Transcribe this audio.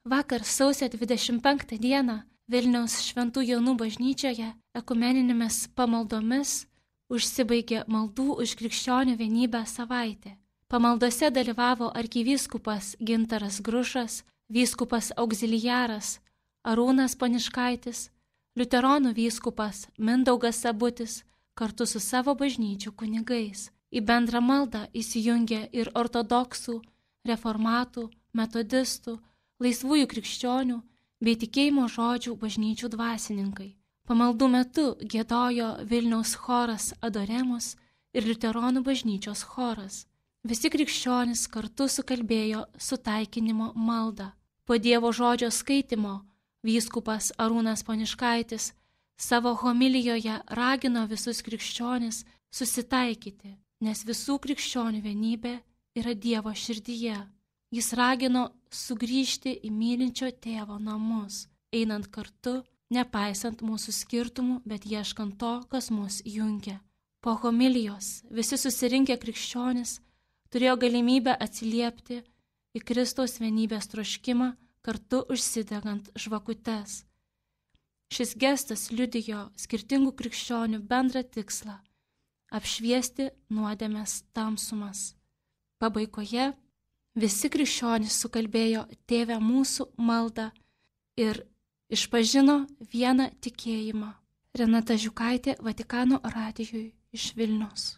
Vakar sausio 25 dieną Vilniaus Šventų Jonų bažnyčioje ekumeninėmis pamaldomis užsibaigė maldų už krikščionių vienybę savaitė. Pamaldose dalyvavo arkivyskupas Gintaras Grušas, vyskupas auxiliaras Arūnas Poniškaitis, liuteronų vyskupas Mindaugas Sabutis kartu su savo bažnyčių kunigais. Į bendrą maldą įsijungė ir ortodoksų, reformatų, metodistų, laisvųjų krikščionių bei tikėjimo žodžių bažnyčių dvasininkai. Pamaldų metu giedojo Vilniaus choras Adoremus ir liuteronų bažnyčios choras. Visi krikščionys kartu sukalbėjo sutaikinimo maldą. Po Dievo žodžio skaitimo vyskupas Arūnas Poniškaitis savo homilijoje ragino visus krikščionis susitaikyti, nes visų krikščionių vienybė yra Dievo širdyje. Jis ragino sugrįžti į mylinčio tėvo namus, einant kartu, nepaisant mūsų skirtumų, bet ieškant to, kas mus jungia. Po homilijos visi susirinkę krikščionis turėjo galimybę atsiliepti į Kristaus vienybės troškimą, kartu užsidegant žvakutes. Šis gestas liudijo skirtingų krikščionių bendrą tikslą – apšviesti nuodėmės tamsumas. Pabaigoje visi krikščionys sukalbėjo Tėve mūsų maldą ir išpažino vieną tikėjimą. Renata Žiukaitė, Vatikano radijui iš Vilniaus.